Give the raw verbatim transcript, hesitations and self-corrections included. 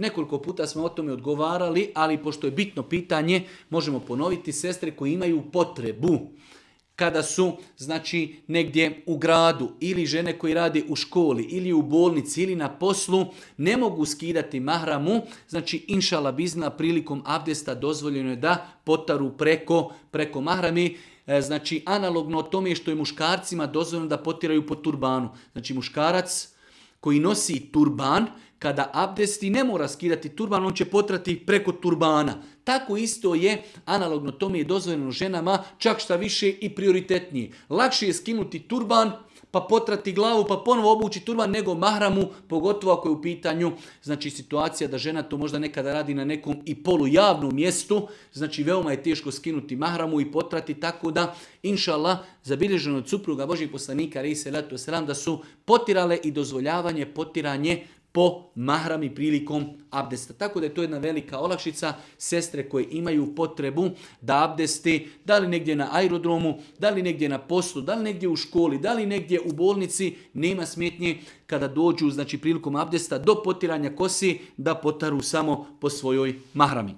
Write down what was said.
Nekoliko puta smo o tome odgovarali, ali pošto je bitno pitanje, možemo ponoviti. Sestre koji imaju potrebu kada su, znači, negdje u gradu ili žene koji rade u školi ili u bolnici ili na poslu, ne mogu skidati mahramu, znači, inšala bizna, prilikom abdesta dozvoljeno je da potaru preko, preko mahrami. E, znači, analogno tome što je muškarcima dozvoljeno da potiraju po turbanu. Znači, muškarac koji nosi turban, kada abdesti ne mora skidati turban, on će potrati preko turbana. Tako isto je, analogno tome je dozvoljeno ženama, čak šta više i prioritetnije. Lakše je skinuti turban, pa potrati glavu, pa ponovo obući turban, nego mahramu, pogotovo ako je u pitanju, znači, situacija da žena to možda nekada radi na nekom i polujavnom mjestu, znači veoma je teško skinuti mahramu i potrati, tako da, inša Allah, zabilježeno od supruga Božih poslanika, alejhi selatu vesselam, da su potirale i dozvoljavanje potiranje po mahrami prilikom abdesta. Tako da je to jedna velika olakšica. Sestre koje imaju potrebu da abdesti, da li negdje na aerodromu, da li negdje na poslu, da li negdje u školi, da li negdje u bolnici, nema smetnje kada dođu, znači, prilikom abdesta do potiranja kosi, da potaru samo po svojoj mahrami.